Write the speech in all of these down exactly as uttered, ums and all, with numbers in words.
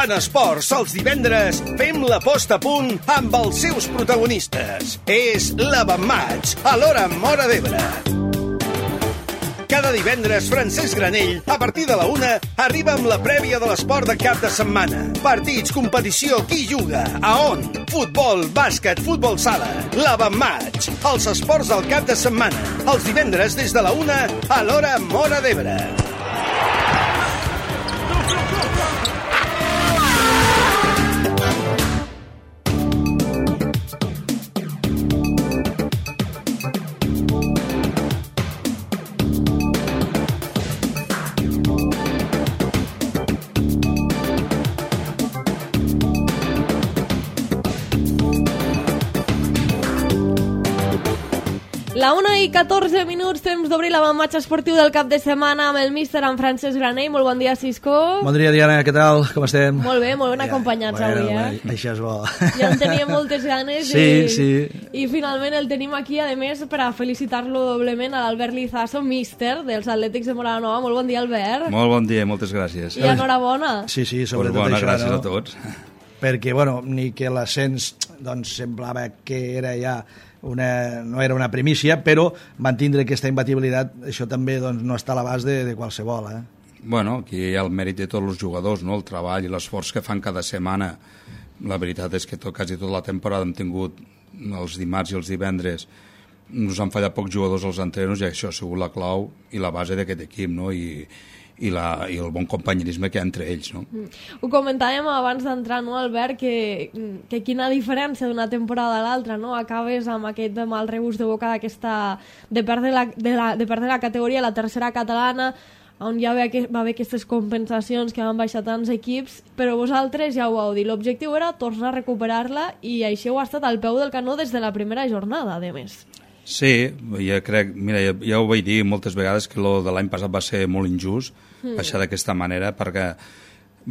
En esports, els divendres, fem la posta a punt amb els seus protagonistes. És l'Avantmatch, a l'Hora Móra d'Ebre. Cada divendres, Francesc Granell, a partir de la una, arriba amb la prèvia de l'esport de cap de setmana. Partits, competició, qui juga, a on? Futbol, bàsquet, futbol sala. L'Avantmatch, els esports del cap de setmana. Els divendres des de la una, a l'Hora Móra d'Ebre. La una i catorze minuts, temps d'obrir l'avantmatch esportiu del cap de setmana amb el míster, en Francesc Granell. Molt bon dia, Cisco. Bon dia, Diana, què tal? Com estem? Molt bé, molt ben acompanyats bueno, avui, eh? Bueno, això és bo. Ja en teníem moltes ganes sí, i, sí. i finalment el tenim aquí, a més, per a felicitar-lo doblement a l'Albert Lizaso, míster dels Atlètics de Moranova. Molt bon dia, Albert. Molt bon dia, moltes gràcies. I enhorabona. Sí, sí, sobretot pues bona, això, gràcies no? a tots. Perquè, bueno, ni que l'ascens doncs, semblava que era ja una, no era una primícia, però mantindre aquesta imbatibilitat, això també doncs, no està a l'abast de, de qualsevol. Eh? Bueno, aquí hi ha el mèrit de tots els jugadors, no? El treball i l'esforç que fan cada setmana. La veritat és que tot, quasi tota la temporada hem tingut els dimarts i els divendres, nos han fallat pocs jugadors als entrenos i això ha sigut la clau i la base d'aquest equip, no? I, i, la, i el bon companyerisme que hi ha entre ells, no? Mm. Ho comentàvem abans d'entrar, no, Albert, que, que quina diferència d'una temporada a l'altra, no? Acabes amb aquest mal regust de boca d'aquesta de perdre la, de, la, de perdre la categoria, la tercera catalana, on ja va haver aquestes compensacions que van baixar tants equips, però vosaltres ja ho vau dir, l'objectiu era tornar a recuperar-la i així heu estat al peu del canó des de la primera jornada, a més. Sí, jo crec, mira, ja, ja ho vaig dir moltes vegades que lo de l'any passat va ser molt injust, mm. baixar d'aquesta manera, perquè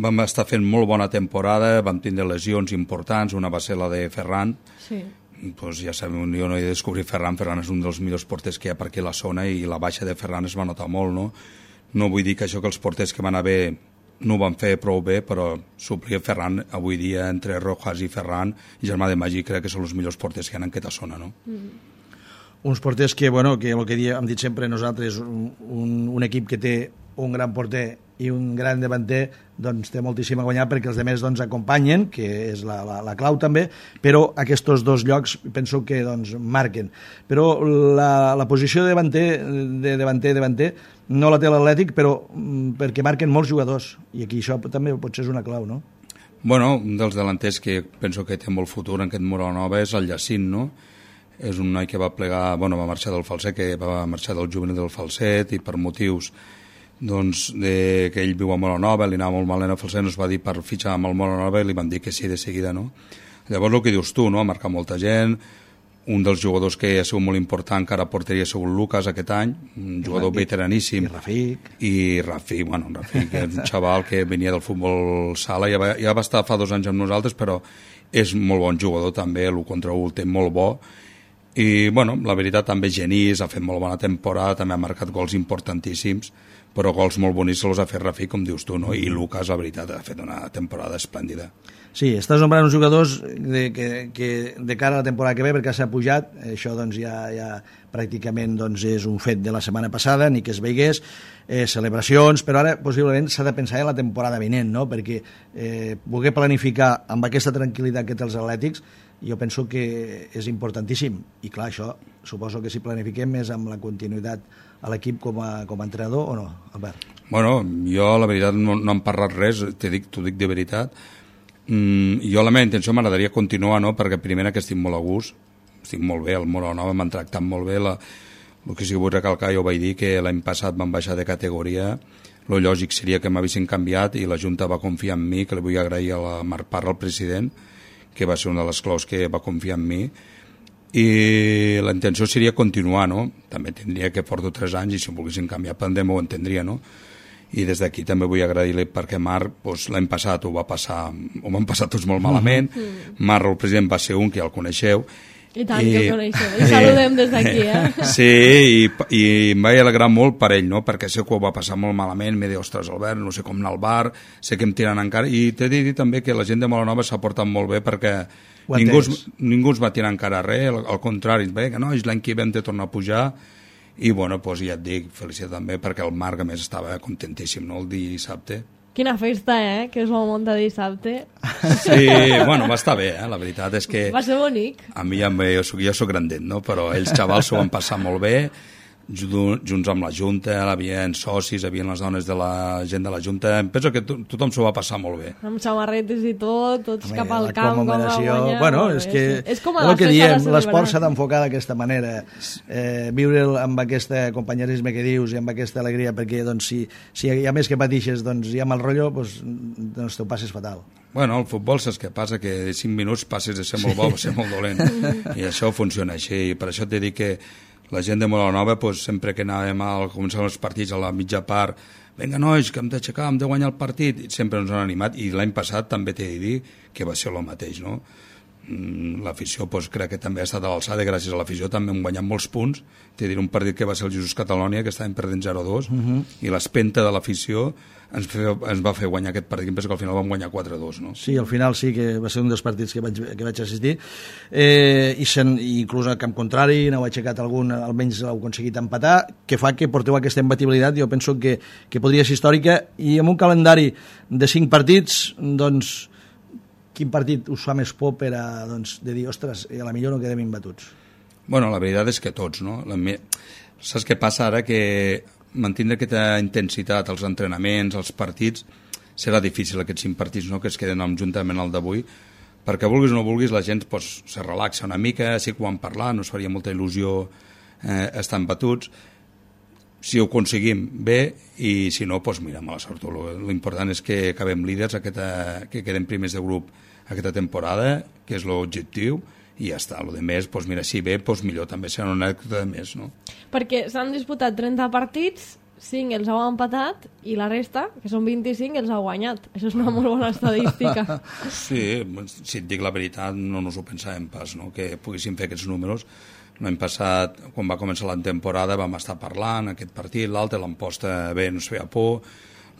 vam estar fent molt bona temporada, vam tindre lesions importants, una va ser la de Ferran, sí. Pues ja sabem, jo no he de descobrir Ferran, Ferran és un dels millors porters que hi ha per aquí a la zona i la baixa de Ferran es va notar molt, no? No vull dir que això que els porters que van haver no ho van fer prou bé, però suplir Ferran avui dia entre Rojas i Ferran i Germà de Magí crec que són els millors porters que hi ha en aquesta zona, no? Mm. Uns porters que, bueno, que el que hem dit sempre nosaltres, un, un, un equip que té un gran porter i un gran davanter, doncs té moltíssim a guanyar perquè els altres doncs, acompanyen, que és la, la, la clau també, però aquests dos llocs penso que doncs, marquen. Però la, la posició de davanter, de davanter, davanter, no la té l'Atlètic, però perquè marquen molts jugadors, i aquí això també potser és una clau, no? Bueno, un dels delanters que penso que té molt futur en aquest Moranova és el Jacint, no? És un noi que va plegar, bueno, va marxar del Falset, que va marxar del juvenil del Falset i per motius doncs, de, que ell viu a Moranova, li anava molt mal en el Falset, ens va dir per fitxar amb el Moranova i li van dir que sí de seguida, no? Llavors el que dius tu, no? Ha marcat molta gent, un dels jugadors que ha sigut molt important que ara portaria ha sigut Lucas aquest any, un jugador I, veteraníssim. I Rafik. I Rafik, bueno, Rafik és un xaval que venia del futbol sala, ja va, ja va estar fa dos anys amb nosaltres, però és molt bon jugador també, l'u contra u el té molt bo. I, bueno, la veritat també Genís ha fet molt bona temporada, també ha marcat gols importantíssims, però gols molt bonics se els ha fet Rafik, com dius tu, no? I Lucas, la veritat, ha fet una temporada esplèndida. Sí, estàs nombrant uns jugadors de, que, que de cara a la temporada que ve, perquè s'ha pujat, això doncs ja, ja pràcticament doncs, és un fet de la setmana passada, ni que es veigués, eh, celebracions, però ara possiblement s'ha de pensar en la temporada vinent, no? Perquè eh, poder planificar amb aquesta tranquil·litat que té els Atlètics, jo penso que és importantíssim, i clar, això suposo que si planifiquem és amb la continuïtat a l'equip com a, com a entrenador o no, Albert? Bueno, jo la veritat no, no hem parlat res, t'ho dic, dic de veritat. Mm, jo la meva intenció m'agradaria continuar, no? Perquè primera que estic molt a gust, estic molt bé, el Moranova m'han tractat molt bé, la, el que sí que vull recalcar, jo vaig dir que l'any passat van baixar de categoria, el lògic seria que m'havissin canviat i la Junta va confiar en mi, que li vull agrair a la Marc Parra, el president, que va ser una de les claus que va confiar en mi, i la intenció seria continuar, no? També tindria que porto tres anys i si em volguessin canviar pendent ho entendria, no? I des d'aquí també vull agrair-li perquè Marc doncs, l'any passat ho va passar, ho van passar tots molt malament, mm-hmm. Marc, el president, va ser un que ja el coneixeu, I tant I, que ho coneixem, i saludem des d'aquí, eh? Sí, i, i em vaig alegrar molt per ell, no? Perquè sé que ho va passar molt malament, m'he dit, ostres, Albert, no sé com anar al bar, sé que em tiren encara, i t'he de dir també que la gent de Molanova s'ha portat molt bé perquè ningú, ningú es va tirar encara res, al, al contrari, bé, que no, l'any que ve hem de tornar a pujar, i bueno, doncs ja et dic, felicitat també, perquè el Marc, a més, estava contentíssim, no?, el dissabte. Quina festa, eh?, que es va muntar dissabte. Sí, bueno, va estar bé, eh? La veritat és que... Va ser bonic. A mi ja, jo soc, jo soc grandet, no?, però ells xavals s'ho van passar molt bé, junts amb la Junta, hi havia socis, hi havia les dones de la gent de la Junta, em penso que to tothom s'ho va passar molt bé. Amb samarretes i tot, tots Home, cap al camp, com va guanyar. Bueno, és que és com el que diem, l'esport s'ha d'enfocar d'aquesta manera, eh, viure amb aquest companyerisme que dius i amb aquesta alegria, perquè doncs, si, si hi ha més que patixes, doncs hi ha mal rotllo, doncs, doncs t'ho passes fatal. Bueno, el futbol saps què passa? Que de cinc minuts passes de ser molt bo a ser molt dolent, i això funciona així, i per això t'he dit que la gent de Molanova, pues, sempre que anàvem a començar els partits a la mitja part, vinga nois, que hem d'aixecar, hem de guanyar el partit, i sempre ens han animat, i l'any passat també t'he de dir que va ser el mateix, no? L'afició, pues, crec que també ha estat a l'alçada, gràcies a l'afició també hem guanyat molts punts, t'he de dir un partit que va ser el Jesús Catalònia, que estàvem perdent zero a dos, uh -huh. i l'espenta de l'afició ens, ens va fer guanyar aquest partit, penso que al final vam guanyar quatre a dos, no? Sí, al final sí que va ser un dels partits que vaig, que vaig assistir, eh, i sen, inclús al camp contrari n'heu aixecat algun, almenys l'heu aconseguit empatar, que fa que porteu aquesta imbatibilitat, jo penso que, que podria ser històrica, i amb un calendari de cinc partits, doncs quin partit us fa més por per a, doncs, de dir, ostres, a la millor no quedem imbatuts? Bueno, la veritat és que tots, no? La me... Saps què passa ara? Que mantenir aquesta intensitat als entrenaments, als partits, serà difícil aquests cinc partits, no?, que es queden juntament al d'avui, perquè vulguis o no vulguis la gent pues, se relaxa una mica, sí que ho van parlar, no es faria molta il·lusió eh, estar embatuts. Si ho aconseguim bé, i si no, doncs mira, mala sort. L'important és que acabem líders, aquesta, que quedem primers de grup aquesta temporada, que és l'objectiu, i ja està. El de més, doncs mira, si bé, doncs millor, també serà una anècdota de més, no? Perquè s'han disputat trenta partits, cinc els heu empatat, i la resta, que són vint-i-cinc, els heu guanyat. Això és una molt bona estadística. Sí, si et dic la veritat, no ens ho pensàvem pas, no?, que poguéssim fer aquests números. L'any passat, quan va començar la temporada, vam estar parlant, aquest partit, l'altre, l'Amposta bé, no es feia por,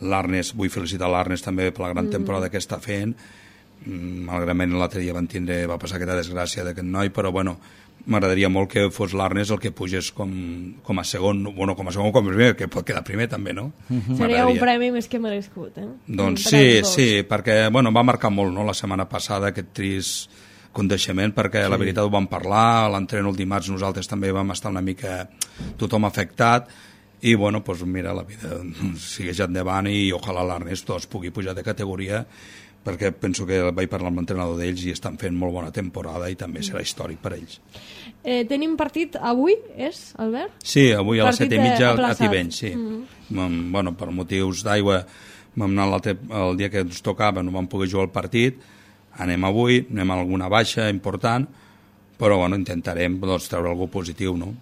l'Arnes, vull felicitar l'Arnes també per la gran temporada que està fent, malgrat l'altre dia van tindre, va passar aquesta desgràcia d'aquest noi, però bueno, m'agradaria molt que fos l'Arnes el que pugés com, com a segon, bueno, com a segon o com a primer, que pot quedar primer també, no? Uh-huh. Seria un premi més que merescut, eh? Doncs sí, sí, perquè, bueno, va marcar molt, no?, la setmana passada, aquest trist coneixement, perquè sí. La veritat ho vam parlar, a l'entreno el dimarts nosaltres també vam estar una mica tothom afectat, i bueno, doncs mira, la vida segueix endavant i ojalà l'Ernest doncs, pugui pujar de categoria, perquè penso que vaig parlar amb l'entrenador d'ells i estan fent molt bona temporada i també serà històric per ells. Eh, tenim partit avui, és, Albert? Sí, avui a les set i mitja a Tivenys, sí. Mm. Bueno, per motius d'aigua vam anar el dia que ens tocava, no vam poder jugar el partit, anem avui, anem a alguna baixa important, però bueno, intentarem doncs, treure alguna positiu, no?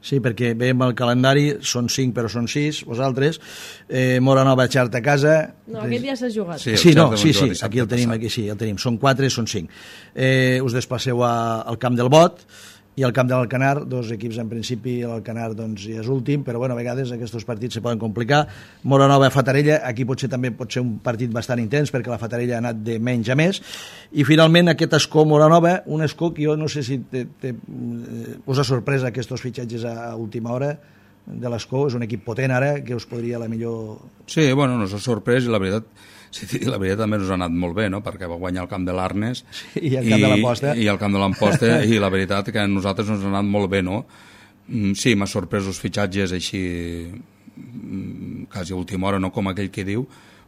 Sí, perquè veiem el calendari, són cinc però són sis, vosaltres, eh, Molanova Xart a casa... No, aquest ja s'ha jugat. Sí, sí, no, sí, sí, aquí el tenim, aquí sí, el tenim, són quatre, són cinc. Eh, us desplaceu a, al camp del Bot, i al camp de l'Alcanar, dos equips en principi, l'Alcanar doncs, ja és últim, però bueno, a vegades aquests partits se poden complicar. Molanova Fatarella, aquí potser també pot ser un partit bastant intens, perquè la Fatarella ha anat de menys a més, i finalment aquest Escó Molanova, un Escó que jo no sé si te, te, us ha sorprès aquests fitxatges a última hora de l'Escó, és un equip potent ara, que us podria la millor... Sí, bueno, nos ha sorprès i la veritat, sí, la veritat també ens ha anat molt bé, no?, perquè va guanyar el camp de l'Arnes sí, i el camp de l'Amposta i el camp de l'Amposta i la veritat que a nosaltres ens ha anat molt bé, no? Sí, m'ha sorprès els fitxatges així quasi a última hora, no com aquell que diu,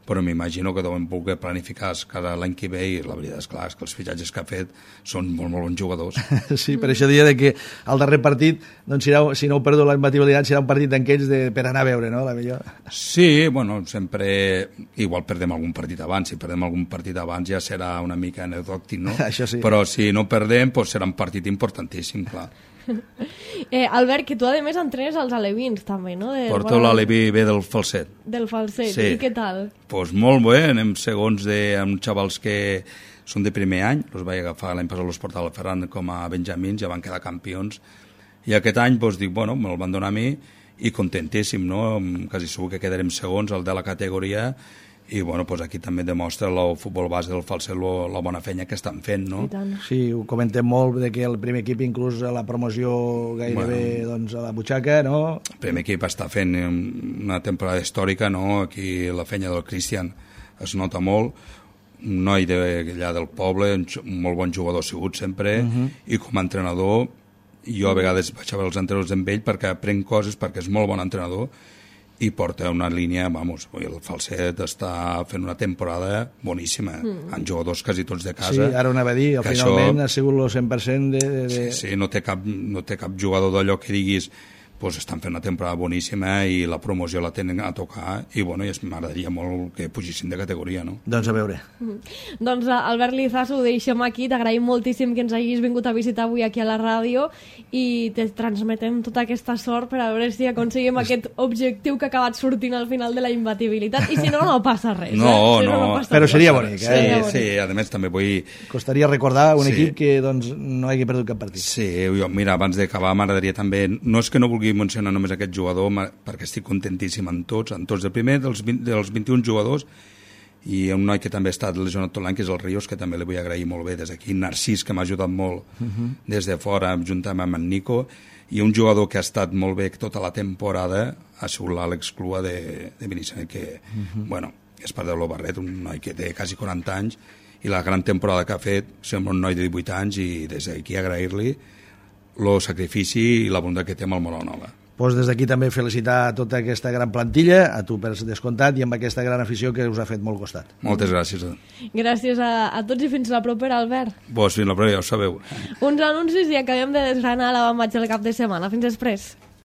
però m'imagino que deuen voler planificar cada l'any que ve i la veritat és clar, és que els fitxatges que ha fet són molt, molt bons jugadors. Sí, per això diria que al darrer partit, doncs, si, no, si no heu perdut la imbatibilitat, serà un partit d'aquells de, per anar a veure, no?, la millor. Sí, bueno, sempre... Igual perdem algun partit abans, si perdem algun partit abans ja serà una mica anecdòtic, no? Això sí. Però si no perdem, doncs serà un partit importantíssim, clar. Eh, Albert, que tu a més entrenes als alevins també, no? De, Porto bueno, l'aleví bé del falset. Del falset, sí. I què tal? Doncs pues molt bé, anem segons de, amb xavals que són de primer any, els vaig agafar l'any passat l'Hospital Ferran com a benjamins, ja van quedar campions, i aquest any doncs, dic, bueno, me'l van donar a mi, i contentíssim, no? Quasi segur que quedarem segons al de la categoria, i bueno, doncs aquí també demostra el futbol base del Falset la bona feina que estan fent, no? Sí, ho comentem molt, de que el primer equip inclús a la promoció gairebé bueno, doncs, a la butxaca, no? El primer equip està fent una temporada històrica, no? Aquí la feina del Cristian es nota molt, un noi d'allà del poble, un molt bon jugador ha sigut sempre, uh -huh. i com a entrenador, jo a vegades vaig a veure els entrenadors amb ell perquè aprenc coses, perquè és molt bon entrenador, i porta una línia, vamos, el Falset està fent una temporada boníssima, mm. amb jugadors quasi tots de casa. Sí, ara ho anava a dir, finalment això, ha sigut el cent per cent de... de... Sí, sí, no té cap, no té cap jugador d'allò que diguis pues estan fent una temporada boníssima i la promoció la tenen a tocar i bueno, m'agradaria molt que pugissin de categoria, no? Doncs a veure. Mm. Doncs Albert Lizaso, ho deixem aquí, t'agraïm moltíssim que ens hagis vingut a visitar avui aquí a la ràdio i te transmetem tota aquesta sort per a veure si aconseguim aquest objectiu que ha acabat sortint al final de la imbatibilitat, i si no, no passa res. No, eh? Si no, no, no però res. seria bonic, eh? Sí, sí, a més també vull... Costaria recordar un sí. equip que doncs, no hagi perdut cap partit. Sí, jo, mira, abans d'acabar m'agradaria també, no és que no vulgui mencionar només aquest jugador, perquè estic contentíssim en tots, en tots. El primer dels, vint, dels vint-i-un jugadors, i un noi que també ha estat lesionat tot l'any, que és el Ríos, que també li vull agrair molt bé des d'aquí, Narcís, que m'ha ajudat molt uh -huh. des de fora, juntament amb en Nico, i un jugador que ha estat molt bé tota la temporada ha sigut l'Àlex Clua de, de Benissanet, que, uh -huh. bueno, és part de l'Obarret, un noi que té quasi quaranta anys, i la gran temporada que ha fet, sembla un noi de divuit anys, i des d'aquí agrair-li el sacrifici i la bondat que té amb el Moronova. Pues des d'aquí també felicitar tota aquesta gran plantilla, a tu per descomptat, i amb aquesta gran afició que us ha fet molt costat. Moltes gràcies. Gràcies a, a tots i fins la propera, Albert. Pues fins la propera, ja ho sabeu. Uns anuncis i acabem de desgranar la bambatge del cap de setmana. Fins després.